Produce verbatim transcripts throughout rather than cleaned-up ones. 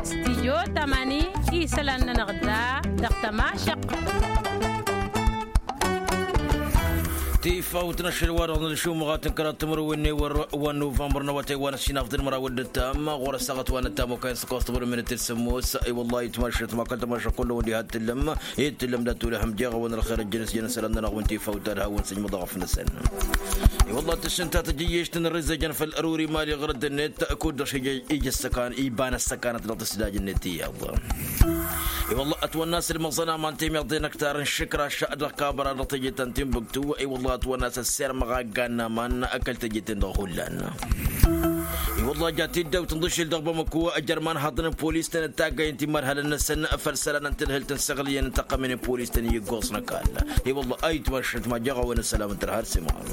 Stijyo tamani isălan-nănăɣ da dăɣ-tămašăq. Tifawt n-ašăl wa-dăɣ n-ălšumăɣat n-kăraḍ timǝrwen n-ewăr wa n-nuvămbăr n-awătay wa n-ăssinafḍăn măraw d-ǝttam ɣur-ăssaɣăt wa n-ăttam okăyăn s-ăkoẓ timǝrwen n-tǝssǝmmos. I-wălla-hi tǝmašăt ma kăl-tămašăt kull-wăn diha t-tǝllăm i-tǝllăm dat-olăhăm jeɣ-awăn ălxer ăjjăn s-jăn isălan-nănăɣ wi n-tifawt ta d-hawăn-sǝjmăḍ ɣăf-năsăn. I-wălla-hi tǝššǝnta tăjjǝyyešt n-ărǝzzejăn făll-ăruri mali ɣărăt-net kud-dăɣ šija ija ăssăkan iba n-ăssăkanăt dăɣ-tǝsdaj-net iyyăḍ. I-wălla-hi ătwănna a-s ǝlmăẓăn aman temiḍe n-ăktar n-išǝkraš dăɣ-kabăra dăɣ-teje ta n-tinbǝktu. I-wălla-hi ătwănna a-s ăssirmăɣ aggan n-aman kăl-teje-ten-dăɣ hullan. I-wălla-hi ja tiddawt n-iḍǝšel dăɣ-bamăko ăjăr imanhaḍăn n-polis-ten d-taggay n-timadhalăn-năsăn făll-isălan n-tadhǝlt n-săɣlǝyăn n-tăqqămen n-polis-ten i-ǝggoẓ n-ăkall. I-wălla-hi ayǝtmašăt ma jeɣ-a-wen ăssălam n-tărha ar s-imɣar.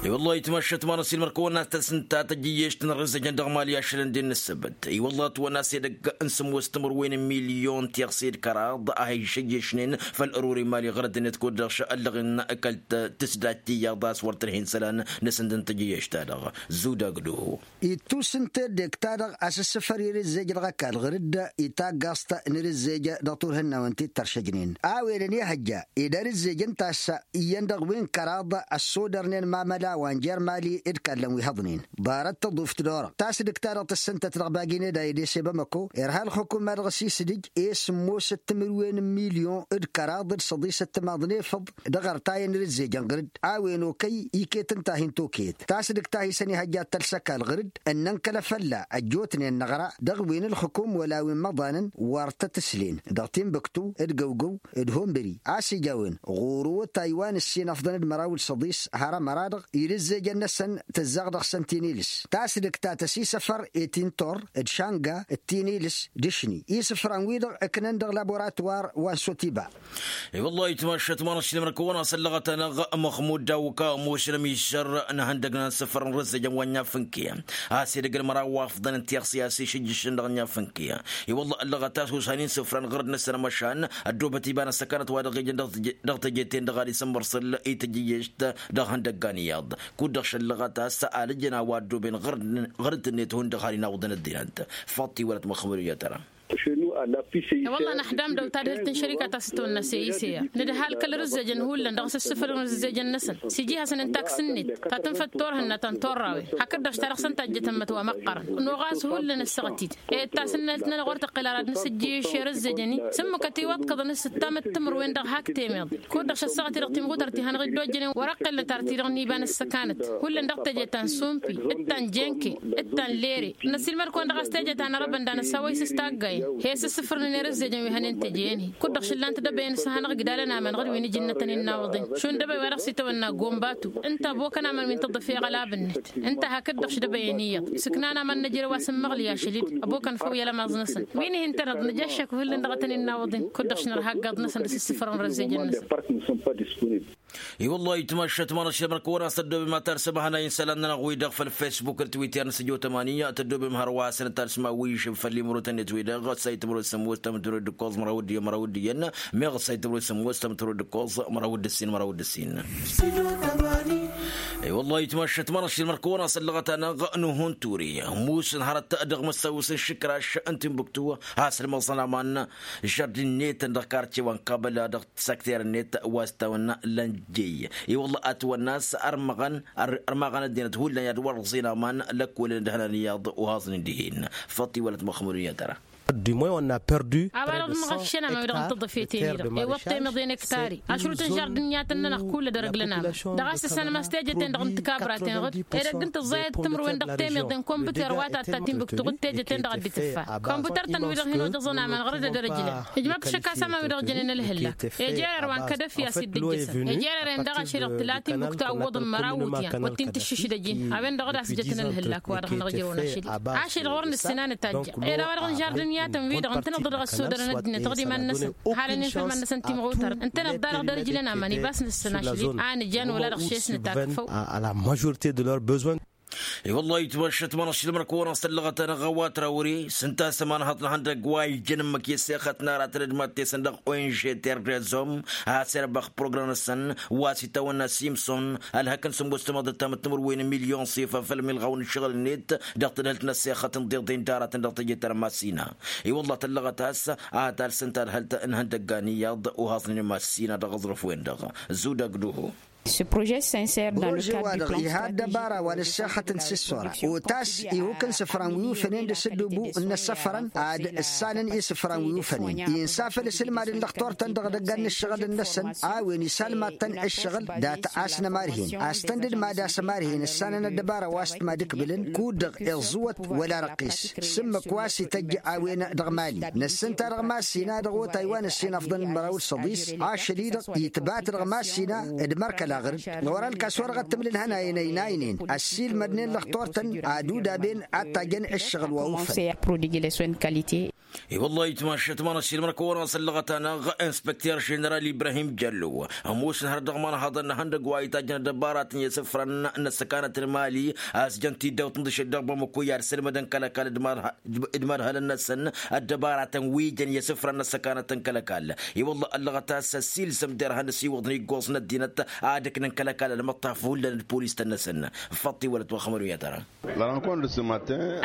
I-wălla-hi ayǝtmašăt ma n-ăsilmăr kăwăn-asăt tăsǝnta tăjjǝyyešt n-ărǝzzăjăn dăɣ-imali ašăl n-dd-nǝssǝbǝt. I-wălla-hi ătwănna a-s edăgg n-sǝmmos timǝrwen n-milyon tiɣse d-kăraḍ a hi-išǝjješnen făll-ăruri n-imali ɣărăt-net kud-dăɣ šăllăɣ-in kăl-tǝsdajt tiyyăḍ a-s wăr tǝrhen isălan n-asǝndǝn tăjjǝyyešt-ta-dăɣ. Zudagdu. Ittus n-teddek-ta-dăɣ a-s ǝssǝfăr irǝzzej dăɣ-ăkall ɣǝr-dd itaggaẓt n-irǝzzej dăɣ-turhǝnnawen ti t-tăršăjnen a-wen ănihăjja ed arǝzzej ǝnta a-s iyyăn dăɣ-wi n-kăraḍ ăssodărnen mamăla wa n-jer-mali d-kallăn wi hăḍnen. Ḍarăt tăḍuft d-orăɣ tasdǝkt-ta-dăɣ tǝssǝntăt dăɣ-bagi n-eda edese bamăko irha ălxukuma dăɣ-s isǝdǝj i-sǝmmos d-timǝrwen n-milyon d-kăraḍ d-săḍisăt timaḍ n-efăḍ dăɣ-ărtayăn n-irǝzzejăn ɣǝr-dd a-wen okăy iket ǝnta a hin-tokăyăt tasdǝkt ta hi-săn ihăjja ad-tăls ăkall ɣǝr-dd ǝnnăn kăl-afălla ăjjootnen năɣra dăɣ-wi n-ǝlxǝkum wăla wi n-imăḍanăn wăr tăt-ǝslen dăɣ-tinbǝktu d-găwgăw d-hunbǝri a-s ija a-wen ɣur-otay wa n-ǝssin ăfḍăn d-măraw d-săḍis har ămăra-dăɣ irǝzzejăn-năsăn tǝzzaɣ dăɣ-săn tinilǝs. Tasdǝkt ta tăsisăfăr i-tintor d-šanga d-tinilǝs d-ašni isǝfran-wi-dăɣ ǝknăn dăɣ-laboratuwar wa n-sotiba. I-wăllah itmašăt ma n-ašlǝmrăk wăn-asăllăɣăt-anăɣ măxmud dawǝka ămoosăn ămiššăr n-ehăndăg n-asǝfrăn rǝzzăjăn wa n-inyafǝnke a-s edăgg n-măraw wa ăfḍăn n-tiɣsi a-s išǝjjǝšăn dăɣ-inyafǝnke. I-wăllah ăllăɣăt a-s osan-in sǝfrăn ɣur-dd-năsăn ămăšan ăddoobăt iba n-ăssăkanăt wa dăɣ-ijăn dăɣ-teje-ten-dăɣ ad-isǝmmărṣǝl i-tǝjjǝjješt dăɣ-ihăndăgga n-iyyăḍ. Kud-dăɣ šăllăɣăt a-s alǝjăn a-wa ăddooben ɣur-dd-net hundăɣ har-in awǝḍăn ăddinăt. Faḍt-iwălăt măxmud i-ad-tăra. I-wălla năxdam dăw-tadhǝlt n-šărika ta s-tăwănna s-e-i s-e-a nǝdhal kăl-rǝzzejăn hullan dăɣ-s ǝssǝfăl n-rǝzzejăn-năsăn s-iji hasăn-ǝnta aksǝnnet ta tǝnfăt turhǝnna ta n-turrawen hakd-dăɣ s-ta dăɣ-săn tajjăt ămmăt wa măqqărăn. Noɣas hullan ăssaɣăt-dd i-dd tasǝnnalt-nănăɣ wăr tăqqǝl ara ad-nǝsǝjjǝyǝš i-rǝzzejăn-i s-ǝmmǝkăt iwăḍkăḍăn s-ǝttamăt timǝrwen dăɣ-hak temeḍ. Kud-dăɣ šăssăɣăt-i dăɣ-timɣutărt ihănăɣ-dd-ojjănen wăr-ăqqelnăt ar ti-dăɣ n-iba n-ăssăkanăt hullan dăɣ-teje ta n-sumpi d-ta n-jenke d-ta n-lere. Năsilmăd-kăwăn dăɣ-a-s teje ta n-arăbăn d-anăsawăy s-s taggayăn he-s ǝssǝfrǝnăn i-rǝzzejăn wi hănen teje-en-hi. Kud-dăɣ šǝllan-t dăbăyăn s-hanăɣ-igdalăn aman ɣur-wi n-ijǝnnătăn innawăḍen šund dăbăy wa dăɣ-s itawănna gombatu ǝnta ăbokăn aman wi n-tǝḍǝf i-iɣălab-net. Ǝnta hakd-dăɣ šdăbăyăn iyyăḍ sǝknan aman n-ejărew a-s ǝmmăɣlǝy ašăl-dd ăbokăn făw i-alămaẓ-năsăn wi n-ihi ǝntăneḍ nǝja ăššăk hullan dăɣ-tăn-innawăḍen. Kud-dăɣ šnărha ǝggaḍ-năsăn dăɣ-s ǝssǝfrăn rǝzzejăn-năsăn. I-wăllah itmašăt ma n-ašlămrăk wăr-asăddobem ad-tarsămăhna insălan-nănăɣ-wi-dăɣ făll-fesbuk d-twitter n-sǝjo tămani tăddobem hărwa a-s n-ad-tarsǝmăhna wi išǝb făll-imrotăn-net-wi-dăɣ ăssay tǝmrăw d-sămmos tămtărăw d-ǝkkoẓ măraw d-iyyăn măraw d-ǝkkoẓ măraw d-ǝssin măraw d-ǝssin. I-wăllah itmašăt ma n-ašlămrăk wăr-asăllăɣăt-anăɣ n-uhun ture musǝn hărăt dăɣ-măssawǝs n-išǝkraš n-tinbuktu. Has-ǝlmăẓăn aman žărdin-net-tăn dăɣ-karce wa n-kabăla dăɣ-săkter-net wa s-tawănna lănjey. I-wălla ătwănna a-s ărmăɣăn ărmăɣăn ăddinăt hullan i-ad-wăr-ǝẓin aman lăkkolăn d-hănan iyyăḍ uhaẓnen dihen. Făṭṭ-i wălăt măxmud n-iyyăt ăra. A-wa-dăɣ d-măɣăššăn aman wi-dăɣ n-tǝḍǝfet-en-i-dăɣ ewăṭṭemăḍ i-inăktari ašrut n-žardǝn i-ad-tăn-nănăɣ kull ad-ărǝglăn aman. Dăɣ-a-s ăssanăm a-s teje-ten-dăɣ n-tikabraten ɣǝd edăgg n-tǝẓẓayăt timǝrwen dăɣ-temiḍe n-kombuter wa tatta tinbǝktu ɣǝd teje-ten-dăɣ a dd-tǝffa. Kombuter-tăn-wi-dăɣ hin-oḍăẓăn aman ɣur-dd ad-ărǝjlăn ijmăḍ-t šăkk a-s aman wi-dăɣ jănen ălhǝllak. Ejerer wa n-kădăfi a-s dd-ǝjjăsăn ejerer-en daɣ ašăl-i-dăɣ tǝla tinbǝktu a ǝwwăḍăn măraw iwǝtyan wăr t-in-tǝššǝšdăj-in. A-wen-dăɣ d-a-s jătăn ălhǝllak wa dăɣ-năɣ ǝjrăwăn ašăl-i ašăl-i-dăɣ wăr nǝssin a nǝtajja. Ed a-wa-dăɣ n-žardǝn i-ad-tăn-wi-dăɣ ǝntăneḍ-dăɣ ăssodărăn ăddinăt ɣǝd iman-năsăn. Halăn-in făll-iman-năsăn timɣutărăn ǝntăneḍ daɣ dăr-ǝjlăn aman ibas nǝssăn ašăl-i a nǝjan wăla dăɣ-šes nǝtakfăw. A la majorite de leur besoin. I-wăllah itmăššăt ma n-ašilmăr kăwăn-asăllăɣăt-anăɣ a-wa trawre s-ǝnta a-s ămanhăḍ n-ihăndăgg wa ijăn ǝmmǝk i-ăssexăt n-aratăn d-mad-tesăn dăɣ-ong terrezom. A-s erbăx program-năsăn wa s-itawănna simson ălhăk n-sǝmmos tămaḍăt tamǝttǝmǝrwen n-milyon s-ifa făll-milɣaw n-ǝššăɣǝl-net dăɣ-tadhǝlt n-ăssexăt n-iḍeḍen d-aratăn dăɣ-teje tărmasina. I-wăllah tăllăɣăt a-s ad-talsǝn tadhǝlt n-ihăndăggan iyyăḍ uhaẓnen imassina dăɣ-aẓrǝf-wen-dăɣ. Zudăg duhu. Proje wa-dăɣ iha ăddăbara wa n-ăssexăt n-sǝssora otas ihuk n-isǝfran wi ufănen d-asǝddubu n-inăssăfărăn ad-ǝssanăn isǝfran wi ufănen. Insa făll-asǝlmad n-lăxtor-tăn dăɣ-idăggan n-ǝššăɣǝl-năsăn a-wen isalmad-tăn ǝššăɣǝl dat-asnămarhen a-s tăn-dd-mad-asămarhen ǝssanăn ăddăbara wa s-t-mad-ǝkbǝlăn kud-dăɣ iẓẓǝwăt wăla răqqis. S-ǝmmǝk wa s-ităjj a-wen dăɣ-mali năssǝnta dăɣ-massina dăɣ-otay wa n-ǝssin afḍăn d-măraw d-săḍis ašăl-i-dăɣ itbat dăɣ-massina d-mărkăl aɣrǝd. Ɣur-ălkas wa dăɣ-t-tǝmlǝl hănayăn ăynaynen ăssiilmădnen lăxtor-tăn ad-udaben ad-tajăn ǝššăɣǝl wa ufăn. I-wăllah itmašăt ma n-ašilmăr kăwăn-asăllăɣăt-anăɣ inspăkter ženeral ibrahim jăllo ămoosăn hărăt dăɣ-imanhaḍăn n-ihăndăgg wa itajjăn ăddăbaratăn i-asǝfrăn n-ăssăkanăt n-mali a-s jăn tiddawt n-dăšăt dăɣ-bamăko i-ad-sălmădăn kăl-ăkall d-imadhălăn-năsăn. Ăddăbaratăn wi jăn i-asǝfrăn n-ăssăkanăt n-kăl-ăkall i-wălla ăllăɣăt a-s ăssiilsăm derhan ăsiwăḍăn iggoẓ n-ăddinăt ad-ǝknăn kăl-ăkall ălmăṭṭaf hullan d-polis-tăn-năsăn. Făṭṭi wălăt wa xămăru i-ad-tăra.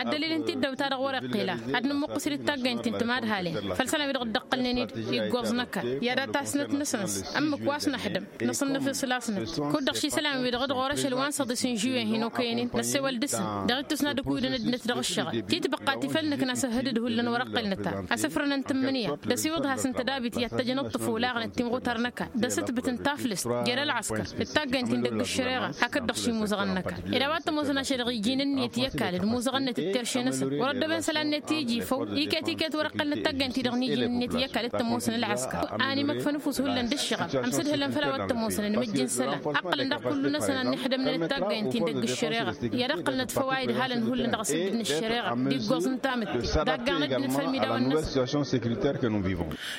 Ăddălil n-tiddawt-ta-dăɣ wăr-iqqǝla ad-nǝmmuqqǝs d-taggăynt ti n-timadhalen făll-isălan wi-dăɣ dd-ăqqălnen iggoẓ n-ăkall i-ad-tasnăt-năsăn-s ǝmmǝk wa s-năxdǝm nǝṣǝnnǝf isǝlasnăt. Kud-dăɣ šisălan-wi-dăɣ d-ɣur-ašăl wa n-săḍis n-žuyen hin-okăyăn-in năssewăl dăɣ-s dăɣ-ittus n-ad-ǝkuyǝdăn ăddinăt dăɣ-ǝššăɣǝl titbăqqa tifăl nǝkna s-ăhhǝdǝd hullan wăr-ăqqălnăt-ta asǝfrăn n-tǝmmǝnǝya d-asiwǝḍ has-n tădabit i-ad-tăjjăn ǝṭṭǝf olaɣăn d-timɣutar n-ăkall d-asǝtbǝt n-taflǝst jer-ălɣăskăr d-taggăynt-in dăgg-ǝššăreɣa hakd-dăɣ šimuzăɣăn n-ăkall. Ed a-wa t-ămoosăn ašăl dăɣ-iji n-ǝnniyăt i-ăkall d-imuzăɣăn-net d-terše-năsăn wăr-ăddăben isălan-net iji făw iket-iket wăr-ăqqălnăt taggăynt-i-dăɣ n-iji n-ǝnniyăt i-ăkall d-tămoosăn ălɣăskăr. Animăkfăn ăfuss hullan d-ǝššăɣăb ămsǝdhǝlăn făll-a-wa t-ămoosăn ănmǝjj n-isălan ăqqǝlăn dăɣ-kullu-năsăn ad-nǝḥdămnen d-taggăynt-in dăgg-ǝššăreɣa i-ad-ăqqǝlnăt făw a idhalăn hullan dăɣ-asǝddǝd n-ǝššăreɣa d-iggoẓ n-tamǝtte. Daggaɣ n-ăddinăt făll-imidawen-năsăn.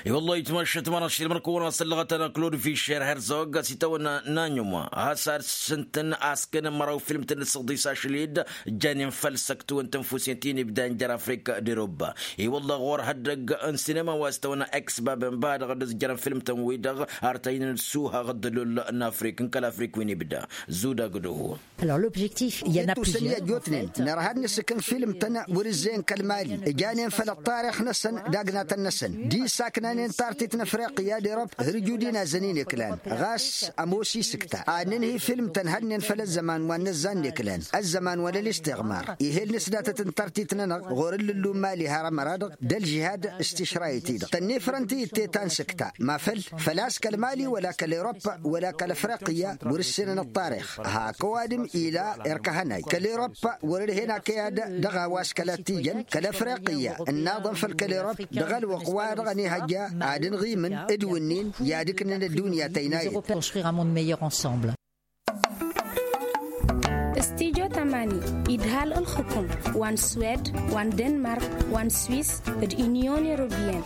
I-wăllah itmašăt ma n-ašilmăr kăwăn-asăllăɣăt-anăɣ klod fišer herzog a-s itawănna n-anyuma a-s ad-sǝntăn a-s kăyăn măraw filmtăn d-săḍis ašăl-dd. Janen făll-săktǝwăn tănfusen ti n-ibdan jer-afrik d-erobba. I-wăllah ɣur-hăddăgg n-sinema wa s-tawănna eksbaben ba-dăɣ dd-ǝzjărăn filmtăn-wi-dăɣ ar tăynăn d-suhaɣ d-ăllull n-afrik n-kăl-afrik wi n-ibda. Zudagdǝhu. Ălobžektif i-ad-năppužen i-ad-jotnen nărha ad-nǝsǝkǝn filmtăn wăr-ǝzzeyăn kăl-mali ǝjanen făll-ăṭṭarix-năsăn d-agnatăn-năsăn d-isaknanen tartit n-afriqya d-erop hărju d-inazăn-in iklan. Ɣas ămoos isǝkta ad-nǝnhǝy filmtăn hădnen făll-ăzzăman wa n-năzzan n-iklan ăzzăman wa n-ălistiɣmar. Ih'-e ǝlnǝs datăt n-tartit-nănăɣ ɣur-ǝllǝllu n-mali har ămăra-dăɣ d-ălžihad s-tišrayǝt-i-dăɣ tănnifrăn ti ǝtte ta n-sǝkta ma făl făl-a-s kăl-mali wăla kăl-erop wăla kăl-afriqya wăr-ǝssenăn ăṭṭarix. Hak ăwadǝm ila erk ahănay kăl-erop wăr-ărhen akăyad dăɣ-a-wa s-kăla t-ijăn kăl-afriqya ǝnnaḍăn făll-kăl-erop. Dăɣ-ălwăqq-wa-dăɣ ănihăjja ad-ǝnɣimǝn d-wǝnnin i-ad-ǝknǝn ăddunya tăynayăt. Construire un monde meilleur ensemble. Studyo tamani idhal ǝlxǝkum wa n-swed wa n-denmark wa n-swis d-unyon europeyenne.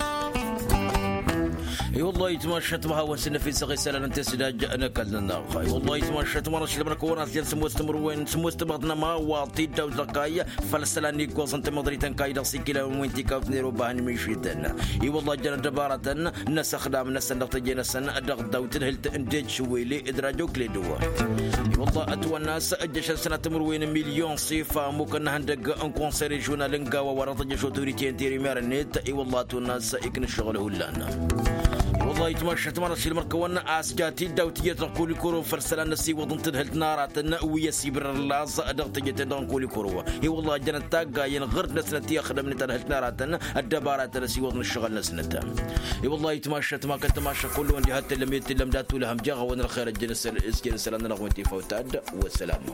I-wăllah itmašăt ma hawăn-sǝnnăf isăɣ isălan n-tesdaj n-ăkall-nănăɣ. I-wăllah itmašăt ma n-ašlămăn kăwăn-asjăn sǝmmos timǝrwen sǝmmos timăḍnăma wa tiddawt dăɣ-kayy făll-isălan n-iggoẓăn tamăḍrit n-kayy dăɣ-sikila n-win tikawt n-eroba hăn mišităn. I-wăllah jăn ăddăbaratăn n-asăxdam-năsăn dăɣ-teje-năsăn dăɣ-dawt tǝdhǝlt n-dejšǝwele d-rajo kledo. I-wăllah ătwănna a-s ǝjjăšăn sănatămăr-wen n-milyon s-ifa ămmukăn n-ihăndăgg n-konsăy režional n-gawa wa dăɣ-tăjjăš otorite n-terimyar-net. I-wăllah ătwănna a-s ikna ǝššăɣǝl hullan. I-wăllah itmašăt ma n-ašilmăr kăwăn a-s ja tiddawt iyyăt dăɣ-kolikoro făll-isălan n-ăsiwăḍ n-tadhǝlt n-aratăn wi ăsibǝrrăn laẓ dăɣ-teje-ten-dăɣ n-kolikoro. I-wăllah jănăt taggayen ɣǝrd-năsnăt i-ăxdămnet tadhǝlt n-aratăn ăddăbaratăn ăsiwăḍ n-ǝššăɣǝl-năsnăt. I-wăllah itmašăt ma kăl-tămašăk kullu-wăn diha t-tǝllăm i-t-tǝllăm dat-tulhăm jeɣ a-wen ălxer ăjjăn s-kăyăn isălan-nănăɣ wi n-tifawt ad-wăssalama.